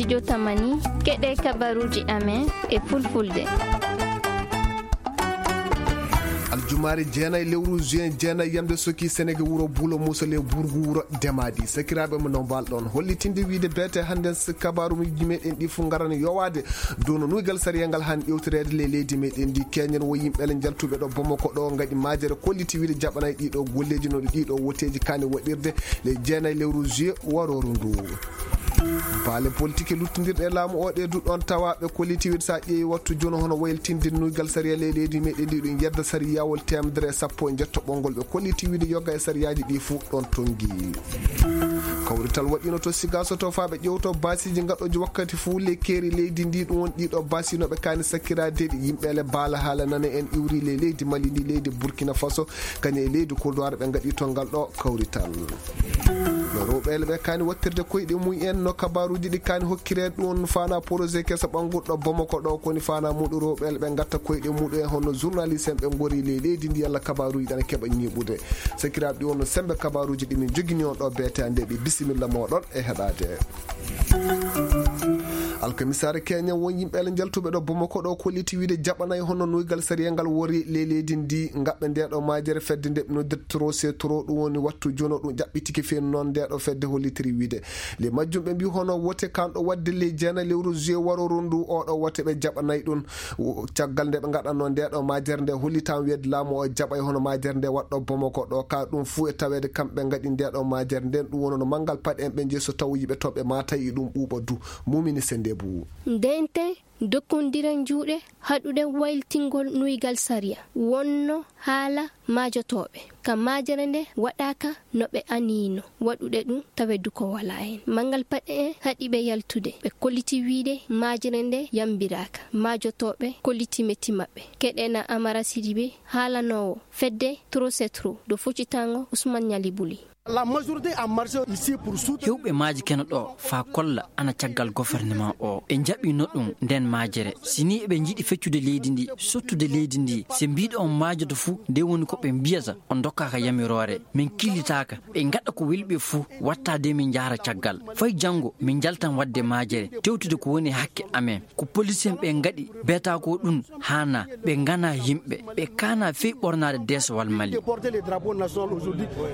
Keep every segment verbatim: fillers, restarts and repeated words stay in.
Studio Tamani, keɗe kabaruji amen e fulfulde. Aljumaare jeenay lewru juin jeenay yamde soki Senege wuro Buulo Muusol e burgu wuro Demaadi. Sakiraaɓe mo no mbalɗon hollitinde wiide beete hannden s-, kabaruuji meɗen ɗi fof ngarani yowaade dow no nuygal sariya ngal han ƴewtoreede le leydi meɗen ndi. Keñen wo yimɓe le njaltuɓe ɗo Bamako ɗo ngaɗi majere kolliti wiide jaɓanay ɗiɗo golleeji no ɗiɗo woteeji kani waɗirde le jeenay lewru juillet warooru ndu. Baale politique luttindirɗe e laamu o ɗe duɗon tawa ɓe kolliti wiide sa ƴeewi wattu jono hono waylitinde nuygal sariya le leydi meɗen ndi ɗum yedda sariyawol temedere e sappo e jettoɓol ngol ɓe kolliti wiide yoga e sariyaaji ɗi fof ɗon tongi. Kawrital waɗino to Sigaso to faa ɓe ƴewto baasiji gaɗoji wakkati fof le keeri leydi ndi ɗum won ɗiɗo baasi no ɓe kani sakkiraade ɗi yimɓe le baala haala nana en iwri le leydi Mali ndi leydi Burkina Faso kañum e leydi Kodowar ɓe ngaɗi to ngal ɗo kawrital. No rewɓe le ɓe kani wattirde koyɗe mum en no kabaruji ɗi kani hokkire ɗum fana projet kesa ɓangurɗo Bamako ɗo koni fana muɗu rewɓe le ɓe gatta koyɗe muɗu en hono journaliste en ɓe gori le leydi ndi yalla kabaruji ɗana keɓa ñiɓude. Sakiraaɓe ɗi wonno sembe kabaruji ɗi min jogini on ɗo beete ande ɓe bisimilla moɗon e heɗade. Alkamisaare Kenya won yimɓe le njaltuɓe ɗo Bamako ɗo kolliti wiide jaɓanay hono nuygal sariya ngal wori le leydi ndi ngaɓɓe nde ɗo majere fedde nde ɓe noddirta tro se tro ɗum woni wattu jono ɗum jaɓɓitiki feenu noon nde ɗo fedde hollitiri wiide le majjum ɓe mbi hono wote kanɗo wadde le jeena lewru juillet warooru ndu oɗo wote ɓe jaɓanay ɗum. Caggal nde ɓe ngaɗanno nde ɗo majere nde hollitan weede laamu o jaɓay hono majere nde waɗɗo Bamako ɗo ka ɗum fuu e taweede kamɓe ngaɗi nde ɗo majere nden ɗum wonono manngal paɗe en ɓe jeeso taw yiɓe to ɓe mata e ɗum ɓuuɓa du. Mumini Sendebu. Ndente dokkondira juuɗe haɗuɗe waylitingol nuygal sariya wonno haala maajotooɓe ka majere nde waɗaaka no ɓe aniyno waɗude ɗum tawedu ko wala heen. Manngal paɗe en haɗi ɓe yaltude ɓe kolliti wiide majere nde yambiraaka maajotooɓe kolliti metti maɓɓe. Keɗena Amara Sidibe haalanoowo fedde trosetro do foccitango Ousmane Ñali Buli. Hewɓe maaji keno ɗo faa kolla ana caggal gouvernement o ɓe njaɓino ɗum nden majere sini eɓe njiɗi feccude leydi ndi sottude leydi ndi se mbiɗo on maajoto fuu nde woni ko ɓe mbiyata on dokkaka yamiroore min killitaka ɓe ngaɗa ko weli ɓe fuu watta de min njahra caggal fay janngo min njaltan waɗde majere tewtude ko woni hakke amen ko policier ɓe ngaɗi beta ko ɗum haana ɓe ngana yimɓe ɓe kaana fey ɓornaade deesowal Mali.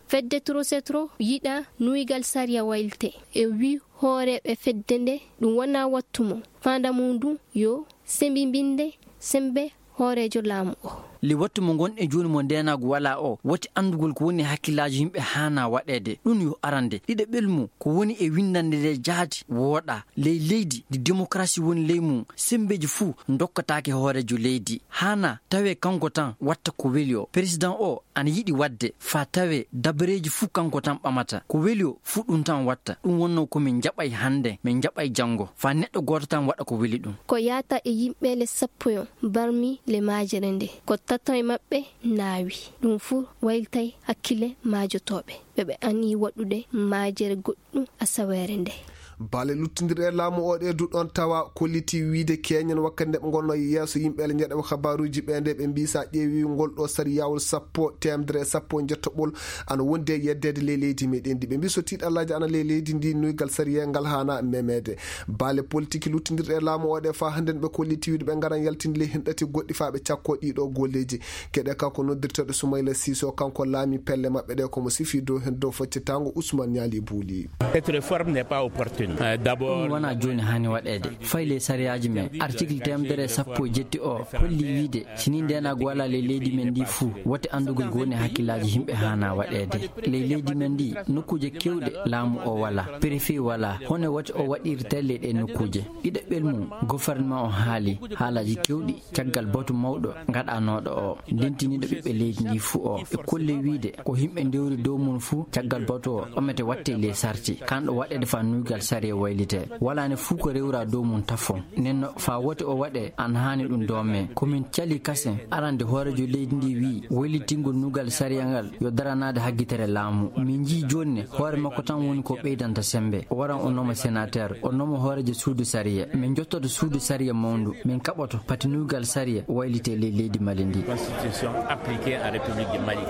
Fedde Trosetro yiɗa nuygal sariya waylte e wi hooreeɓe fedde nde ɗum wona wattu mo faanda mum ndu yo sembimbinde sembe hooreejo laamu o. Li wattu mo ngonɗen jooni mo ndeenaagu walaa o woti anndugol ko woni hakkillaaji yimɓe haana waɗeede ɗum yo arande ɗiɗaɓel mum ko woni e winndannde nde jaati wooɗa ley leydi ndi démocratie woni ley mum semmbeeji fuu ndokkataake hooreejo leydi haana tawee kanko tan watta ko weli o président o ana yiɗi waɗde faa tawee dabareeji fuu kanko tan ɓamata ko weli o fuu ɗum tan watta ɗum wonno ko min njaɓay hannde min njaɓay janngo faa neɗɗo gooto tan waɗa ko weli ɗum. Ko yaata e yimɓe le sappo yon barmi le maajere nde ko tato e maɓɓe naawi ɗum fuu waylitay hakkille maajotooɓe ɓe ɓe anii waɗude maajere goɗɗum asaweere nde. Baale luttindirɗe e laamu o ɗe duɗon tawa kolliti wiide keñen wakkati nde ɓe ngonno yeeso yimɓe le ñeɗeɓe kabaruuji ɓe nde ɓe mbii sa ƴeewi ngol ɗo sariyawol sappo temedere e sappo e jettoɓol ana wondi e yeddeede ley leydi meɗen ndi ɓe mbii so tiiɗallaaji ana ley leydi ndi nuygal sariya ngal haana memeede. Baale politique luttindirɗe e laamu o ɗe faa hannden ɓe kolliti wiide ɓe ngaran yaltinde ley hen ɗati goɗɗi faa ɓe cakko ɗiɗo golleeji. Keɗe kanko noddirteeɗo Soumaïla Cissé o kanko laami pelle maɓɓe ɗe komo sifi dow heen dow foccitaango Ousmane Niali Bouli. Cette réforme n'est pas opportune. Euh, d'abord ɗum wona jooni haani waɗeede fayi ley sariyaaji men article temedere e sappo e jetti o holli wiide si ni ndeenaagu walaa ley leydi men ndi fuu wote anndugol ko woni hakkillaaji yimɓe haana waɗeede ley leydi men ndi nokkuuje keewɗe laamu o walaa préfet walaa hono wote o waɗirtee ley ɗe nokkuuje ɗiɗaɓel mum gouvernement o haali haalaaji keewɗi caggal batu mawɗo gaɗanooɗo o ndentiniiɗo ɓiɓɓe leydi ndi fuu o e kolle wiide ko yimɓe ndewri dow mum fuu caggal batu o ɓamete watte ley sarti kanɗo waɗeede faa nuygal sariya waylite walaani fuu ko rewra dow mum tafo nenno faa wote o waɗe an haani ɗum doome komin cali kasen arande hoorejo leydi ndi wii waylitingol nuygal sariya ngal yo daranaade haggitere laamu min njii jooni ne hoore makko tan woni ko ɓeydanta semmbe o waran o nooma sénateur o nooma hooreejo suudu sariya min njottoto suudu sariya mawndu min kaɓoto pati nuygal sariya waylite ley leydi Mali ndi. Constitution appliquée en République du Mali.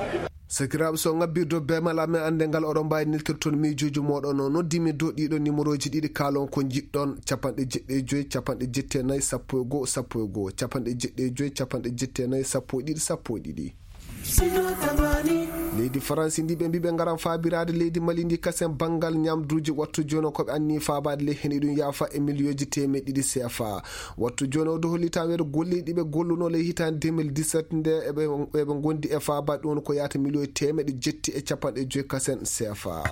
Sakiraaɓe, so ngabbirde bee mala men annde ngal, oɗon mbaawi neltirde toon miijooji mooɗon. No noddi mi dow ɗiɗo nimorooji ɗiɗi, kaalon ko njiɗɗon: capanɗe jeɗɗi e joy, capanɗe jetti e nayi, sappo e goo, sappo e goo, capanɗe jeɗɗi e joy, capanɗe jetti e nayi, sappo e ɗiɗi, sappo e ɗiɗi. Leydi Faransi ndi ɓe mbi ɓe ngaran faabiraade leydi Mali ndi kasen banngal ñamduuji, wattu jooni ko ɓe anni faabaade ley heen, iɗum yaafa e miliyooji teemeɗɗe ɗiɗi C F A. Wattu jooni o dow hollitaa weeto golleeji ɗi ɓe golluno ley hitaande deux mille dix-sept nde eɓe, eɓe ngondi e faabaade ɗum ko yaata miliyooji teemeɗɗe jetti e capanɗe joy kasen C F A.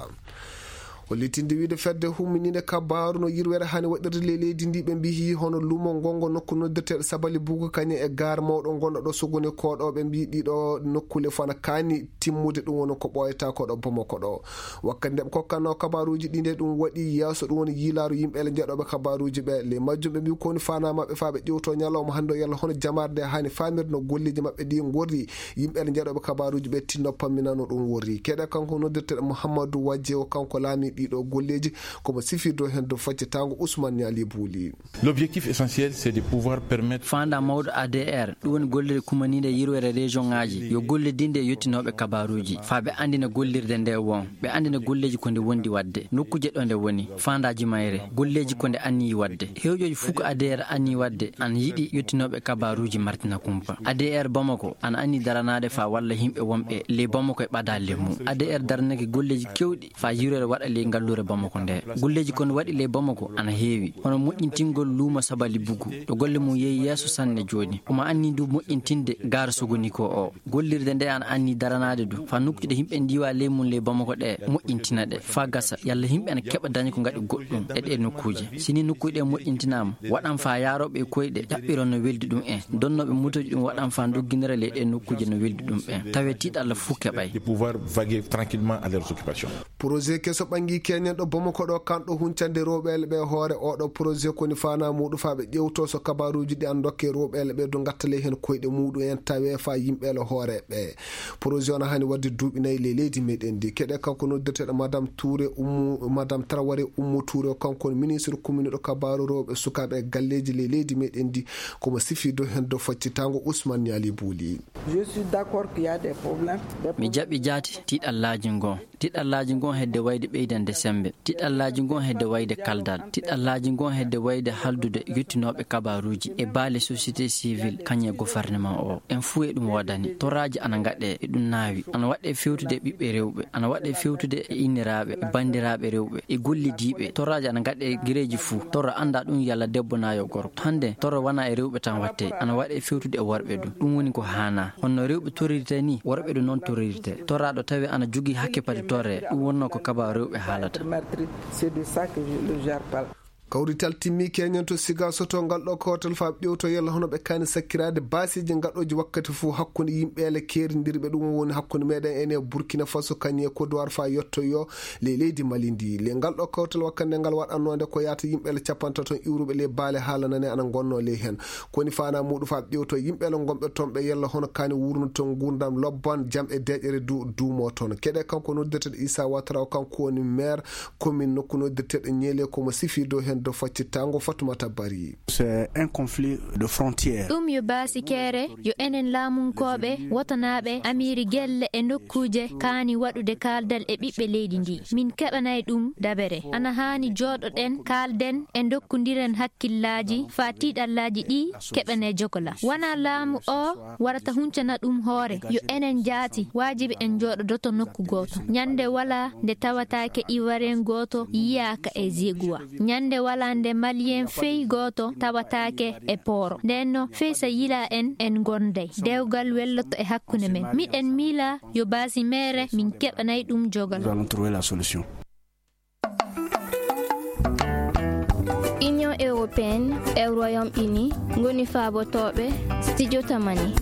Hollitinde wiide fedde humminiinde kabaaru no yirwere hani waɗirde ley leydi ndi, ɓe mbiyi hono luumo ngongo nokku noddirteeɗo Sabali Bugu kañum e gaar mawɗo ngonɗo ɗo Sogoni ko ɗo, ɓe mbiyi ɗiɗo nokkule fof ana kaani timmude, ɗum woni ko ɓooyata ko ɗo Bamako ɗo. Wakkati nde ɓe kokkanno kabaaruuji ɗi nde ɗum waɗi yeeso, ɗum woni yiilaaru yimɓe ele njeɗooɓe kabaaruuji ɓe. Ley majjum ɓe mbi ko woni faanaa maɓɓe faa ɓe ƴewto ñalawma hannde o yalla hono jamaare nde hani faamirde no golleeji maɓɓe ɗi ngorri. Yimɓe ele njeɗooɓe kabaaruuji ɓe tinno pamminano ɗum worri. Keɗe kanko noddirteeɗo Mouhamadou Wadje o, kanko laami ɗiɗo golleeji, komo sifirdo heen dow faccitaango Ousmane Niali Bouli. L'objectif essentiel, c'est de pouvoir permettre. Faandaa mawɗo A D R, ɗum woni gollirde kumaniinde yirwere région ŋaaji, yo gollidinde e yottinooɓe kabaaruuji, faa ɓe anndina gollirde nde won, ɓe anndina golleeji ko nde wondi waɗde, nokkuuje ɗo nde woni, faandaaji mayre, golleeji ko nde anniyi waɗde. Hewjooji fof ko A D R anniyi waɗde, ana yiɗi yottinooɓe kabaaruuji martina kumpa. A D R Bamako ana anni daranaade faa walla yimɓe wonɓe ley Bamako e ɓadaale mum. A D R daranake golleeji keewɗi faa yirwere waɗa ley ngalluure Bamako nde. Golleeji ko no waɗi ley Bamako ana heewi, hono moƴƴintingol luumo Sabali Bugu, ɗo golle mum yehi yeeso sanne jooni. Omo anni ndu moƴƴintinde gaar Sogoniko o. Gollirde nde ana anni daranaade du, faa nokkuuje ɗe yimɓe ndiiwa ley mum ley Bamako ɗe moƴƴintina ɗe, faa gasa, yalla yimɓe ana keɓa daña ko ngaɗi goɗɗum e ɗee nokkuuje. Si nii nokkuuje ɗe moƴƴintinaama, waɗan faa yaarooɓe e koyɗe ɗaɓɓiron no weldi ɗum en, donnooɓe motooji ɗum waɗan faa ndogginira ley ɗee nokkuuje no weldi ɗum ɓen. Tawee tiiɗalla fuu keɓay. De pouvoir vaguer tranquillement à leurs occupations. Projet keso ɓangi keñen ɗo Bamako ɗo, kanɗo huncande rewɓe ele ɓe hoore. Oɗo projet ko ni faanaa muuɗum faa ɓe ƴewto so kabaaruuji ɗi an dokke rewɓe ele ɓe du ngatta ley heen koyɗe muuɗum en, tawee faa yimɓe ele hoore ɓe. Projet on hani waɗde duuɓi nayi ley leydi meɗen ndi. Keɗe kanko noddirteeɗo Madame Touré Ummu, Madame Traoré Ummu Touré, kanko woni ministre kuminiɗo kabaaru rewɓe sukaaɓe e galleeji ley leydi meɗen ndi. Komo sifirdo heen dow faccitaango Ousmane Niali Bouli. Je suis d'accord qu'il y a des problèmes. Mi jaɓi jaati tiiɗallaaji ngon. Tiiɗallaaji ngon hedde wayde ɓeydande semmbe. Tiiɗallaaji ngon hedde wayde kaldal. Tiiɗallaaji ngon hedde wayde haldude yottinooɓe kabaaruuji e baale société civile kañum e gouvernement o. En fuu e ɗum woodani. Toraaji ana ngaɗee e ɗum naawi. Ana waɗee fewtude e ɓiɓɓe rewɓe. Ana waɗee fewtude e inniraaɓe, e banndiraaɓe rewɓe, e gollidiiɓe. Toraaji ana ngaɗee e gereeji fuu. Toro anndaa ɗum yalla debbo naa yo gorko. Hannde toro wanaa e rewɓe tan waɗtee. Ana waɗee fewtude e worɓe du. Ɗum woni ko haanaa. Honno rewɓe torirtee nii, worɓe du noon torirtee. Toraaɗo tawee ana jogii hakke pati torree, ɗum wonnoo ko kabaaru rewɓe haalata. C'est de ça que je, le gère pas. Kawrital timmi keñen to Siga Soto ngal ɗo kawtal faa ɓe ƴewto yalla hono ɓe kaani sakkiraade baasiiji gaɗooji wakkati fof hakkunde yimɓe ele keerindirɓe, ɗum woni hakkunde meɗen ene Burkina Faso kañum e Côte d'Ivoire faa yottoyoo ley leydi Mali ndi. Le ngal ɗo kawtal wakkati nde ngal waɗannoonde ko yaata yimɓe ele capantato iwruɓe ley baale haalanane ana ngonnoo ley heen. Ko woni faanaa muuɗum faa ɓe ƴewto yimɓe ele ngonɓe toon ɓe yalla hono kaani wuurnude toon nguurndam lobban, jam e deeƴere du duumoo toon. Keɗe kanko noddirteeɗo Issa Ouattara o, kanko woni maire commune nokku noddirteeɗo Niélé, komo sifii dow heen dow faccittaango Fatoumata Barry. C'est un conflit de frontière. Ɗum yo baasikeere, yo enen laamunkooɓe, wotanaaɓe, amiiri gelle e nokkuuje kaani waɗude kaaldal e ɓiɓɓe leydi ndi. Min keɓanay ɗum dabere. Ana haani jooɗoɗen, kaalden e ndokkondiren hakkillaaji faa tiiɗallaaji ɗi keɓanee jogola. Wanaa laamu o warata huncana ɗum hoore. Yo enen jaati, waajibi en njooɗodoto nokku gooto. Ñannde walaa nde tawataake Ivoirien gooto yiyaaka e Zeguwa. Ñannde walaa nde Malien fey gooto tawataake e Pooro. Ndeen no fey so yilaa en, en ngonday. Dewgal welloto e hakkunde men. Miɗen miila yo baasi meere min keɓanay ɗum jogal. Nous allons trouver la solution. Union européenne e Royaume-Uni ngoni faabotooɓe Studio Tamani.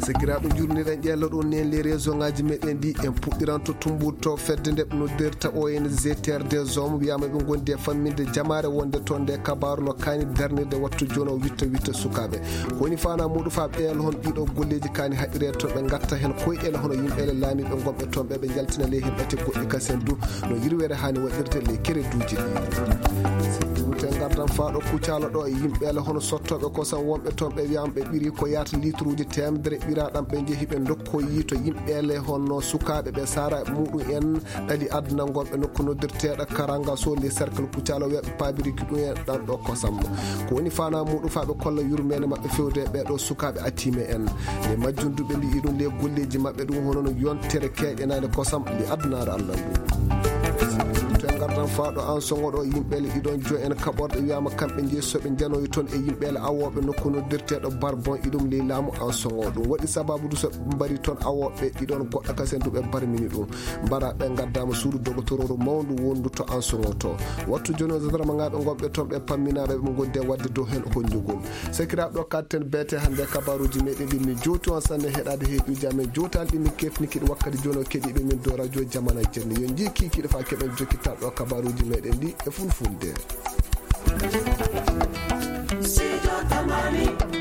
Sakiraaɓe, njurniɗen ƴeello ɗon nen les réseau ngaji meɗen ɗi. En puɗɗiran to Tumbur to fedde nde ɓe noddirta O N G Terre des Hommes, wiyama ɓe gondi e famminde jamaare wonde toon nde kabaaru no kaani darnirde wattu jono witta witta sukaaɓe. Ko woni faanaa muuɗum faa ɓeelo hon ɗiɗo golleeji kaani haɗiree to ɓe ngatta heen koyɗeele hono yimɓe ele laamiiɓe gonɓe toon ɓe, ɓe njaltina ley heen ɓate goɗɗi kasen du no yirwere haani waɗirde ley kereduuji ɗi. Si duute ngardan Faaɗo Kucala ɗo e yimɓeele hono sottooɓe kosam wonɓe toon, ɓe wiyaama ɓe ɓirii ko yaata litruuji teemedere ɓiraaɗam, ɓe njehi ɓe ndokkoyii to yimɓeele hono sukaaɓe ɓe saara muɗum en ɗali aduna ngonɓe nokku noddirteeɗo Karanga so le cercle Kucala, wiya ɓe paabiriki ɗum en ɗan ɗo kosam. Ko woni faanaa muɗum? Faa ɓe kolla yurmeende maɓɓe fewde e ɓee ɗo sukaaɓe atiime en. E majjum du ɓe mbiyi ɗum le golleeji maɓɓe ɗum hono no yontere keeƴanaande kosam le adunaare Allah ndu. To en ngartan faa ɗo Ansoŋo ɗo, yimɓeele ɗiɗon joy en kaɓorɗe wiyaama kamɓe njeyi so ɓe njanoyi toon e yimɓeele awooɓe nokku noddirteeɗo Barbon iɗum ley laamu Ansoŋo. Ɗum waɗi sababu du so ɓe mbari toon awooɓe ɗiɗon goɗɗo kasen du ɓe barmini ɗum. Mbara ɓe ngaddaama suudu dogotororu mawndu wondu to Ansoŋo to. Wattu jooni o zadarmagaaɓe ngonɓe toon ɓe pamminaaɓe ɓe ngoddi e waɗde dow heen honnjugol. Sakiraaɓe, ɗo kaɗten beete hannde kabaaruuji meɗen ɗi. Mi jowti on sanne heɗaade heeƴuuji amen jowtaani ɗi min kefni kiɗi wakkati jooni o keɗiiɓe min dow radio Jamana Jenne. Yo njii kiikiiɗe faa keɓen jokkital ɗo kabaaruuji meɗen ɗi e fulfulde. Sijo Tamani.